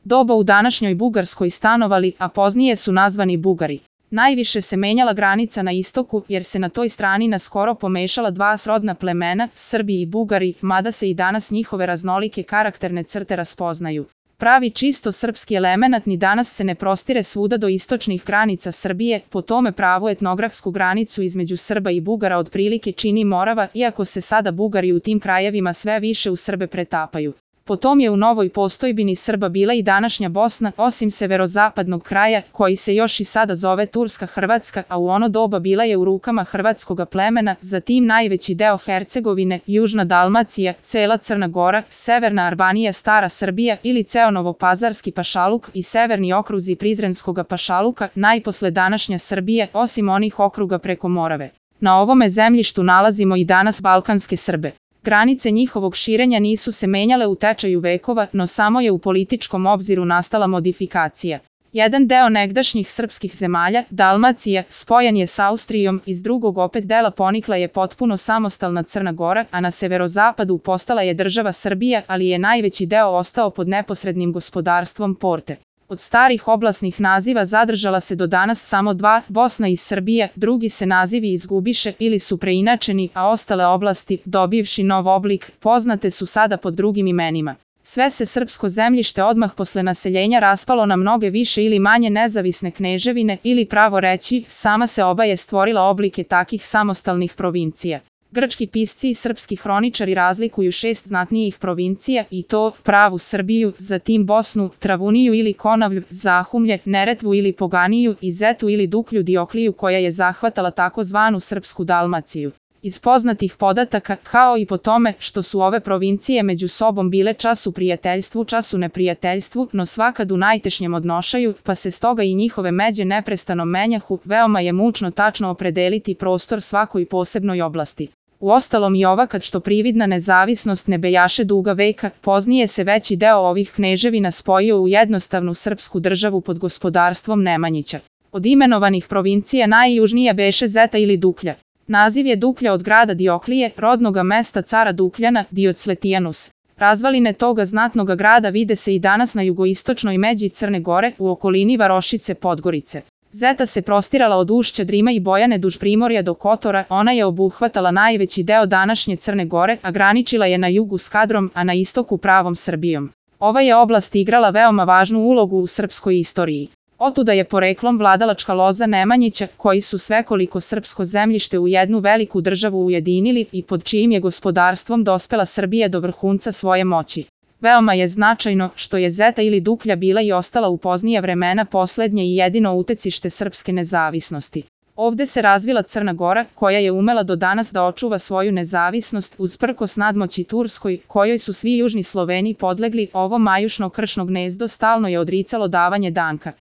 doba u današnjoj Bugarskoj stanovali, a poznije su nazvani Bugari. Najviše se menjala granica na istoku, jer se na toj strani naskoro pomešala dva srodna plemena, Srbi i Bugari, mada se i danas njihove raznolike karakterne crte raspoznaju. Pravi čisto srpski elemenat ni danas se ne prostire svuda do istočnih granica Srbije, po tome pravu etnografsku granicu između Srba i Bugara otprilike čini Morava, iako se sada Bugari u tim krajevima sve više u Srbe pretapaju. Potom je u novoj postojbini Srba bila i današnja Bosna, osim severozapadnog kraja, koji se još i sada zove Turska Hrvatska, a u ono doba bila je u rukama hrvatskoga plemena, zatim najveći deo Hercegovine, južna Dalmacija, cela Crna Gora, severna Albanija, stara Srbija ili ceo Novopazarski pašaluk i severni okruzi Prizrenskoga pašaluka, najposle današnja Srbija, osim onih okruga preko Morave. Na ovome zemljištu nalazimo i danas balkanske Srbe. Granice njihovog širenja nisu se menjale u tečaju vekova, no samo je u političkom obziru nastala modifikacija. Jedan deo negdašnjih srpskih zemalja, Dalmacija, spojen je s Austrijom, iz drugog opet dela ponikla je potpuno samostalna Crna Gora, a na severozapadu postala je država Srbija, ali je najveći deo ostao pod neposrednim gospodarstvom Porte. Od starih oblasnih naziva zadržala se do danas samo dva, Bosna i Srbija, drugi se nazivi izgubiše ili su preinačeni, a ostale oblasti, dobivši nov oblik, poznate su sada pod drugim imenima. Sve se srpsko zemljište odmah posle naseljenja raspalo na mnoge više ili manje nezavisne kneževine ili pravo reći, sama se oba je stvorila oblike takih samostalnih provincija. Grčki pisci i srpski hroničari razlikuju 6 znatnijih provincija i to pravu Srbiju, zatim Bosnu, Travuniju ili Konavlju, Zahumlje, Neretvu ili Poganiju i Zetu ili Duklju Diokliju koja je zahvatala takozvanu Srpsku Dalmaciju. Iz poznatih podataka, kao i po tome što su ove provincije među sobom bile čas u prijateljstvu, čas u neprijateljstvu, no svakad u najtešnjem odnošaju, pa se stoga i njihove međe neprestano menjahu, veoma je mučno tačno opredeliti prostor svakoj posebnoj oblasti. Uostalom i ovakad što prividna nezavisnost ne bejaše duga veka, poznije se veći deo ovih kneževina spojio u jednostavnu srpsku državu pod gospodarstvom Nemanjića. Od imenovanih provincija najjužnija beše Zeta ili Duklja. Naziv je Duklja od grada Dioklije, rodnoga mesta cara Dukljana, Diocletijanus. Razvaline toga znatnoga grada vide se i danas na jugoistočnoj međi Crne Gore, u okolini Varošice Podgorice. Zeta se prostirala od ušća Drima i Bojane duž Primorja do Kotora, ona je obuhvatala najveći deo današnje Crne Gore, a graničila je na jugu s Kadrom, a na istoku pravom Srbijom. Ova je oblast igrala veoma važnu ulogu u srpskoj istoriji. Otuda je poreklom vladalačka loza Nemanjića, koji su svekoliko srpsko zemljište u jednu veliku državu ujedinili i pod čijim je gospodarstvom dospela Srbija do vrhunca svoje moći. Veoma je značajno što je Zeta ili Duklja bila i ostala u poznija vremena poslednje i jedino utecište srpske nezavisnosti. Ovde se razvila Crna Gora, koja je umela do danas da očuva svoju nezavisnost usprkos nadmoći Turskoj, kojoj su svi južni Sloveni podlegli. Ovo majušno kršno gnezdo stalno je odricalo davanje danka.